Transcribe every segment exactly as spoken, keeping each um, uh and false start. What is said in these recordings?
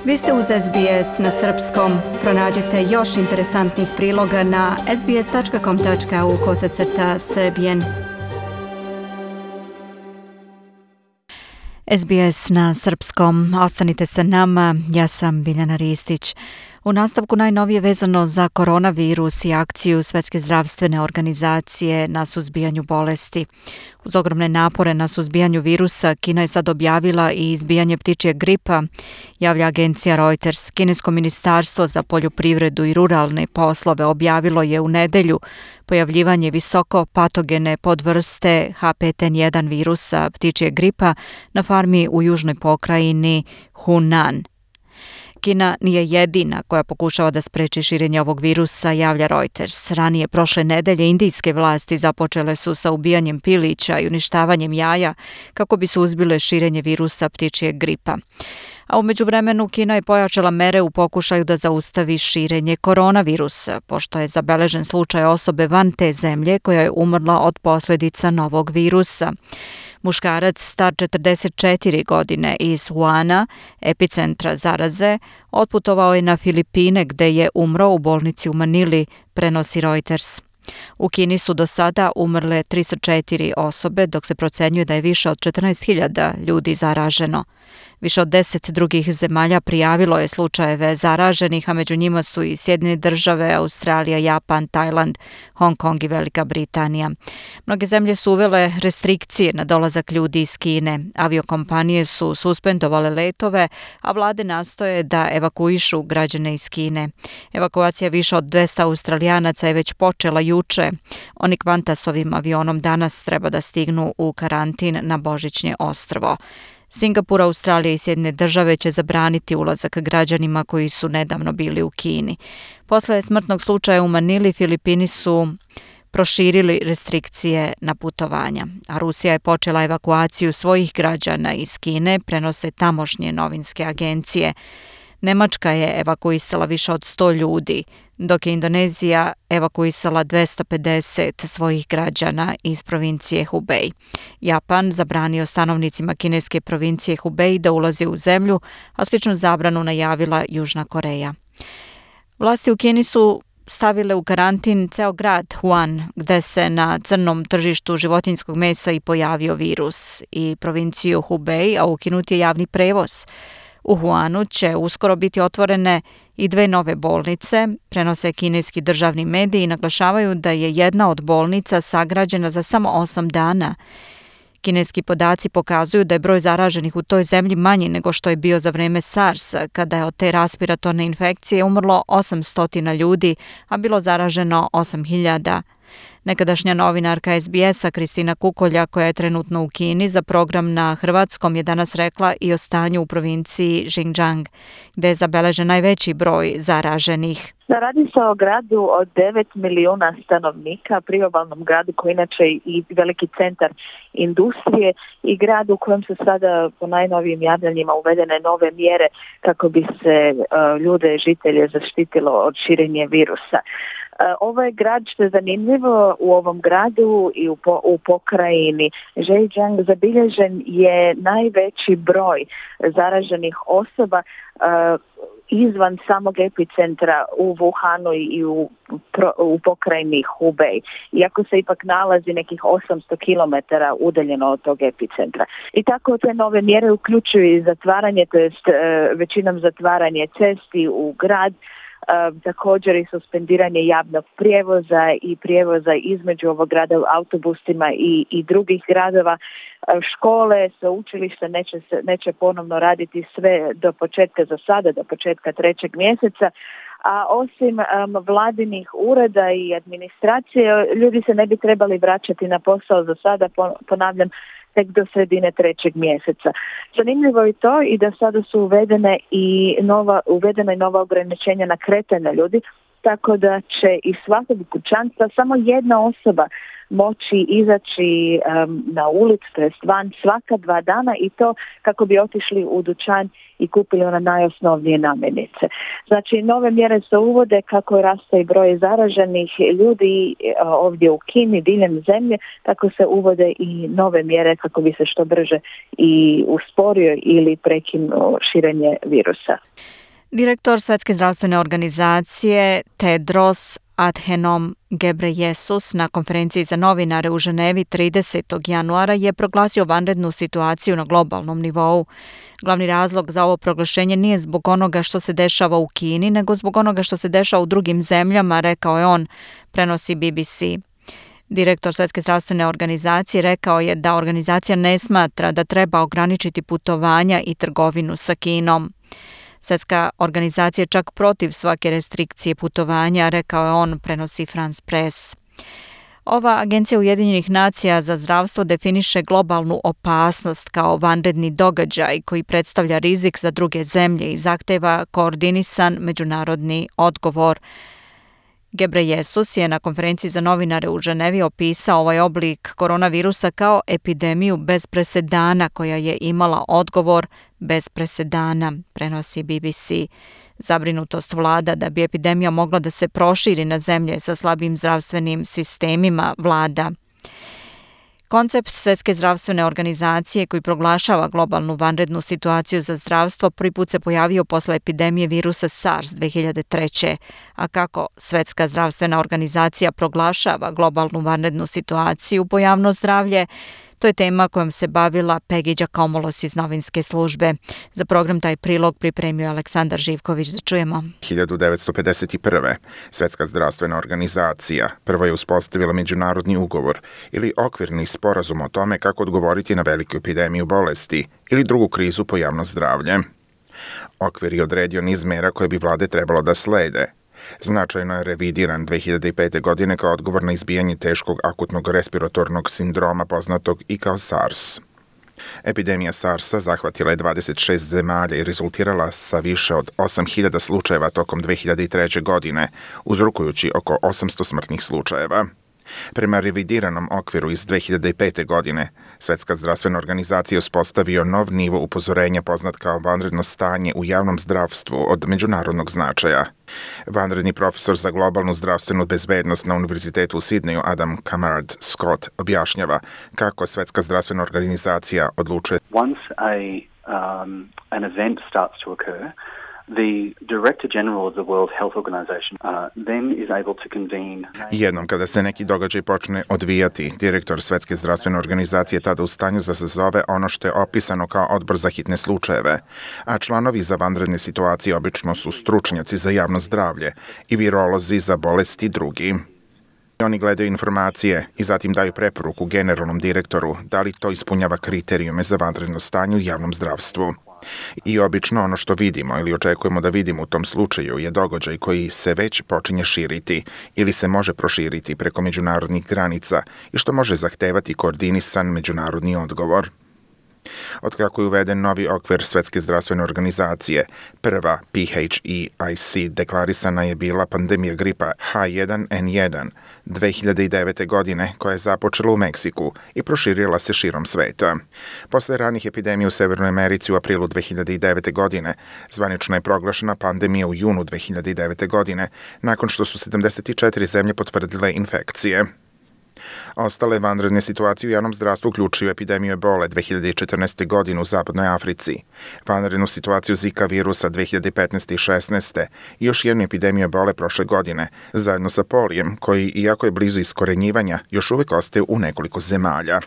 Vi ste uz S B S na srpskom. Pronađite još interesantnih priloga na sbs tačka com tačka au kosacrta srbijen. S B S na srpskom. Ostanite sa nama. Ja sam Biljana Ristić. U nastavku najnovije vezano za koronavirus i akciju Svetske zdravstvene organizacije na suzbijanju bolesti. Uz ogromne napore na suzbijanju virusa, Kina je sad objavila i izbijanje ptičjeg gripa, javlja agencija Reuters. Kinesko ministarstvo za poljoprivredu i ruralne poslove objavilo je u nedelju pojavljivanje visoko patogene podvrste H pet N jedan virusa ptičjeg gripa na farmi u južnoj pokrajini Hunan. Kina nije jedina koja pokušava da spreči širenje ovog virusa, javlja Reuters. Ranije prošle nedelje indijske vlasti započele su sa ubijanjem pilića i uništavanjem jaja kako bi suzbile širenje virusa ptičjeg gripa. A u međuvremenu Kina je pojačala mere u pokušaju da zaustavi širenje koronavirusa, pošto je zabeležen slučaj osobe van te zemlje koja je umrla od posljedica novog virusa. Muškarac star četrdeset četiri godine iz Wuhana, epicentra zaraze, otputovao je na Filipine gde je umro u bolnici u Manili, prenosi Reuters. U Kini su do sada umrle tristo četiri osobe, dok se procenjuje da je više od četrnaest hiljada ljudi zaraženo. Više od deset drugih zemalja prijavilo je slučajeve zaraženih, a među njima su i Sjedinjene države, Australija, Japan, Tajland, Hong Kong i Velika Britanija. Mnoge zemlje su uvele restrikcije na dolazak ljudi iz Kine. Aviokompanije su suspendovale letove, a vlade nastoje da evakuišu građane iz Kine. Evakuacija više od dvesta Australijanaca je već počela juče. Oni Qantasovim avionom danas treba da stignu u karantin na Božićnje ostrvo. Singapur, Australija i Sjedinjene države će zabraniti ulazak građanima koji su nedavno bili u Kini. Posle smrtnog slučaja u Manili, Filipini su proširili restrikcije na putovanja, a Rusija je počela evakuaciju svojih građana iz Kine, prenose tamošnje novinske agencije. Nemačka je evakuisala više od sto ljudi, dok je Indonezija evakuisala dvesta pedeset svojih građana iz provincije Hubei. Japan zabranio stanovnicima kineske provincije Hubei da ulaze u zemlju, a sličnu zabranu najavila Južna Koreja. Vlasti u Kini su stavile u karantin ceo grad Wuhan, gde se na crnom tržištu životinjskog mesa i pojavio virus, i provinciju Hubei, a ukinut je javni prevoz. U Wuhanu će uskoro biti otvorene i dve nove bolnice, prenose kineski državni mediji i naglašavaju da je jedna od bolnica sagrađena za samo osam dana. Kineski podaci pokazuju da je broj zaraženih u toj zemlji manji nego što je bio za vreme SARS-a, kada je od te respiratorne infekcije umrlo osamsto ljudi, a bilo zaraženo osam hiljada. Nekadašnja novinarka S B S-a Kristina Kukolja, koja je trenutno u Kini za program na hrvatskom, je danas rekla i o stanju u provinciji Xinjiang, gde je zabeležen najveći broj zaraženih. Radi se o gradu od devet milijuna stanovnika, priobalnom gradu koji inače i veliki centar industrije i grad u kojem su sada po najnovijim javljanjima uvedene nove mjere kako bi se uh, ljude, žitelje zaštitilo od širenja virusa. Ovo je grad, što je zanimljivo, u ovom gradu i u, po, u pokrajini Zhejiang zabilježen je najveći broj zaraženih osoba uh, izvan samog epicentra u Wuhanu i u, pro, u pokrajini Hubei, iako se ipak nalazi nekih osamsto kilometara udaljeno od tog epicentra. I tako te nove mjere uključuju i zatvaranje, to jest uh, većinom zatvaranje cesti u grad, Uh, također i suspendiranje javnog prijevoza i prijevoza između ovog grada u autobusima i, i drugih gradova. Uh, škole, sveučilišta neće, se, neće ponovno raditi sve do početka za sada, do početka trećeg mjeseca. A osim um, vladinih ureda i administracije, ljudi se ne bi trebali vraćati na posao za sada, ponavljam, tek do sredine trećeg mjeseca. Zanimljivo je to i da sada su uvedene i nova, uvedena i nova ograničenja na kretanje ljudi, tako da će iz svakog kućanstva samo jedna osoba moći izaći um, na ulicu, to jest van svaka dva dana i to kako bi otišli u dućan i kupili one najosnovnije namirnice. Znači, nove mjere se uvode kako raste i broj zaraženih ljudi ovdje u Kini, diljem zemlje, tako se uvode i nove mjere kako bi se što brže i usporio ili prekinuo širenje virusa. Direktor Svjetske zdravstvene organizacije Tedros Adhanom Ghebreyesus na konferenciji za novinare u Ženevi tridesetog januara je proglasio vanrednu situaciju na globalnom nivou. Glavni razlog za ovo proglašenje nije zbog onoga što se dešava u Kini, nego zbog onoga što se dešava u drugim zemljama, rekao je on, prenosi B B C. Direktor Svjetske zdravstvene organizacije rekao je da organizacija ne smatra da treba ograničiti putovanja i trgovinu sa Kinom. Svjetska organizacija je čak protiv svake restrikcije putovanja, rekao je on, prenosi France Press. Ova agencija Ujedinjenih nacija za zdravstvo definiše globalnu opasnost kao vanredni događaj koji predstavlja rizik za druge zemlje i zahteva koordinisan međunarodni odgovor. Ghebreyesus je na konferenciji za novinare u Ženevi opisao ovaj oblik koronavirusa kao epidemiju bez presedana koja je imala odgovor bez presedana, prenosi B B C. Zabrinutost vlada da bi epidemija mogla da se proširi na zemlje sa slabim zdravstvenim sistemima vlada. Koncept Svjetske zdravstvene organizacije koji proglašava globalnu vanrednu situaciju za zdravstvo prvi put se pojavio posle epidemije virusa SARS dve hiljade treće. A kako Svjetska zdravstvena organizacija proglašava globalnu vanrednu situaciju po javno zdravlje, to je tema kojom se bavila Peggy Giacomolos iz novinske službe. Za program taj prilog pripremio Aleksandar Živković, da čujemo. hiljadu devetsto pedeset prve. Svjetska zdravstvena organizacija prvo je uspostavila međunarodni ugovor ili okvirni sporazum o tome kako odgovoriti na veliku epidemiju bolesti ili drugu krizu po javno zdravlje. Okvir je odredio niz mera koje bi vlade trebalo da slede. Značajno je revidiran dve hiljade pete. godine kao odgovor na izbijanje teškog akutnog respiratornog sindroma poznatog i kao SARS. Epidemija SARS-a zahvatila je dvadeset šest zemalja i rezultirala sa više od osam hiljada slučajeva tokom dve hiljade treće. godine, uzrokujući oko osamsto smrtnih slučajeva. Prema revidiranom okviru iz dve hiljade pete. godine, Svjetska zdravstvena organizacija uspostavio nov nivo upozorenja poznat kao vanredno stanje u javnom zdravstvu od međunarodnog značaja. Vanredni profesor za globalnu zdravstvenu bezbednost na Univerzitetu u Sidneju Adam Camarad Scott objašnjava kako Svjetska zdravstvena organizacija odlučuje. Once a, um, an event starts to occur, the Director General of the World Health Organization uh, then is able to convene. Jednom kada se neki događaj počne odvijati, direktor Svjetske zdravstvene organizacije je tada u stanju da se zove ono što je opisano kao odbor za hitne slučajeve, a članovi za vanredne situacije obično su stručnjaci za javno zdravlje i virolozi za bolesti drugi. Oni gledaju informacije i zatim daju preporuku generalnom direktoru da li to ispunjava kriterijume za vanredno stanje u javnom zdravstvu. I obično ono što vidimo ili očekujemo da vidimo u tom slučaju je događaj koji se već počinje širiti ili se može proširiti preko međunarodnih granica i što može zahtevati koordinisan međunarodni odgovor. Otkako je uveden novi okvir Svjetske zdravstvene organizacije, prva P H E I C deklarisana je bila pandemija gripa H jedan N jedan dve hiljade devete. godine koja je započela u Meksiku i proširila se širom sveta. Posle ranih epidemija u Severnoj Americi u aprilu dve hiljade devete. godine, zvanično je proglašena pandemija u junu dve hiljade devete. godine, nakon što su sedamdeset četiri zemlje potvrdile infekcije. Ostale vanredne situacije u javnom zdravstvu uključuju epidemiju ebole dve hiljade četrnaeste. godine u Zapadnoj Africi, vanrednu situaciju Zika virusa dve hiljade petnaeste. i šesnaeste. i još jednu epidemiju ebole prošle godine, zajedno sa polijem, koji, iako je blizu iskorenjivanja, još uvijek ostaje u nekoliko zemalja.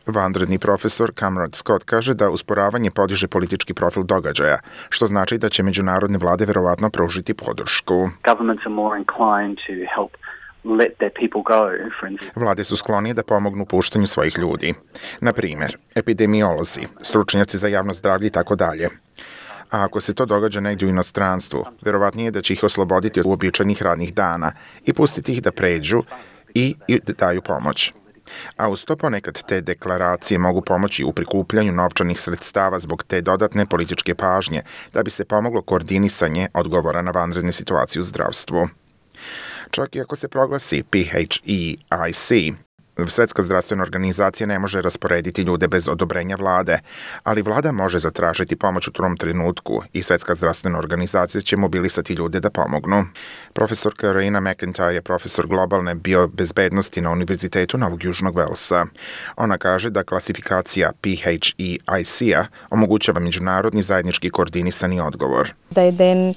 Vanredni profesor Camarad Scott kaže da usporavanje podiže politički profil događaja, što znači da će međunarodne vlade verovatno pružiti podršku. Governments are more inclined to help let their people go, for instance. Vlade su sklonije da pomognu puštanju svojih ljudi. Na primjer, epidemiolozi, stručnjaci za javno zdravlje i tako dalje. A ako se to događa negdje u inostranstvu, verovatnije je da će ih osloboditi od uobičajenih radnih dana i pustiti ih da pređu i, i daju pomoć. A uz to ponekad te deklaracije mogu pomoći u prikupljanju novčanih sredstava zbog te dodatne političke pažnje da bi se pomoglo koordinisanje odgovora na vanredne situacije u zdravstvu. Čak i ako se proglasi P H E I C, Svetska zdravstvena organizacija ne može rasporediti ljude bez odobrenja vlade, ali vlada može zatražiti pomoć u tom trenutku i Svetska zdravstvena organizacija će mobilisati ljude da pomognu. Profesorka Raina McIntyre je profesor globalne biobezbednosti na Univerzitetu Novog Južnog Velsa. Ona kaže da klasifikacija P H E I C-a omogućava međunarodni zajednički koordinisani odgovor. They then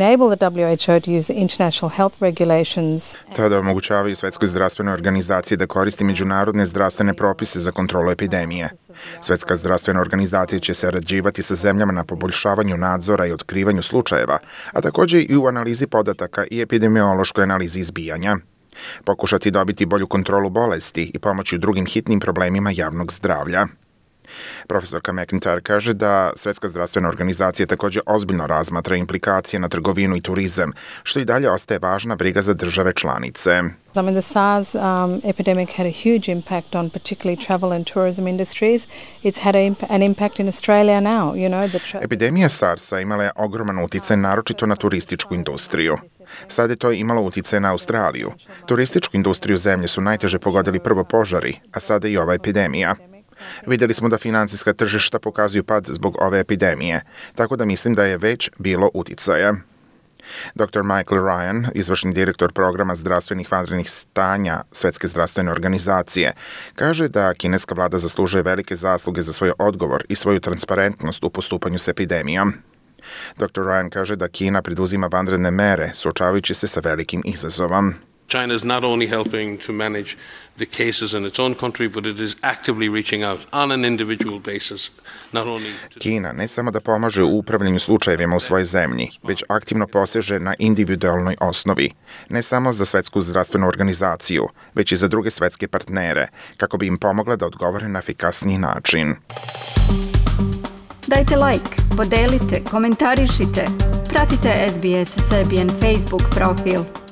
enable the W H O to use international health regulations. Tada omogućavaju Svetskoj zdravstvenoj organizaciji da koristi međunarodne zdravstvene propise za kontrolu epidemije. Svetska zdravstvena organizacija će sarađivati sa zemljama na poboljšavanju nadzora i otkrivanju slučajeva, a također i u analizi podataka i epidemiološkoj analizi izbijanja. Pokušati dobiti bolju kontrolu bolesti i pomoći u drugim hitnim problemima javnog zdravlja. Profesorka McIntyre kaže da Svetska zdravstvena organizacija također ozbiljno razmatra implikacije na trgovinu i turizam, što i dalje ostaje važna briga za države članice. I mean, the SARS um, epidemic had a huge impact on particularly travel and tourism industries. It's had a, an impact in Australia now, you know. The tra- Epidemija SARS-a imala je ogroman uticaj naročito na turističku industriju. Sad je to imalo uticaj na Australiju. Turističku industriju zemlje su najteže pogodili prvo požari, a sada i ova epidemija. Vidjeli smo da financijska tržišta pokazuju pad zbog ove epidemije, tako da mislim da je već bilo uticaja. doktor Michael Ryan, izvršni direktor programa zdravstvenih vanrednih stanja Svetske zdravstvene organizacije, kaže da kineska vlada zaslužuje velike zasluge za svoj odgovor i svoju transparentnost u postupanju s epidemijom. doktor Ryan kaže da Kina preduzima vanredne mere, suočavajući se sa velikim izazovom. China is not only helping to manage the cases in its own country, but it is actively reaching out on an individual basis, not only to... Kina ne samo da pomaže u upravljanju slučajevima u svojoj zemlji, već aktivno poseže na individualnoj osnovi, ne samo za Svetsku zdravstvenu organizaciju, već i za druge svetske partnere, kako bi im pomogla da odgovore na efikasniji način. Dajte like, podelite, komentarišite, pratite S B S Serbian Facebook profil.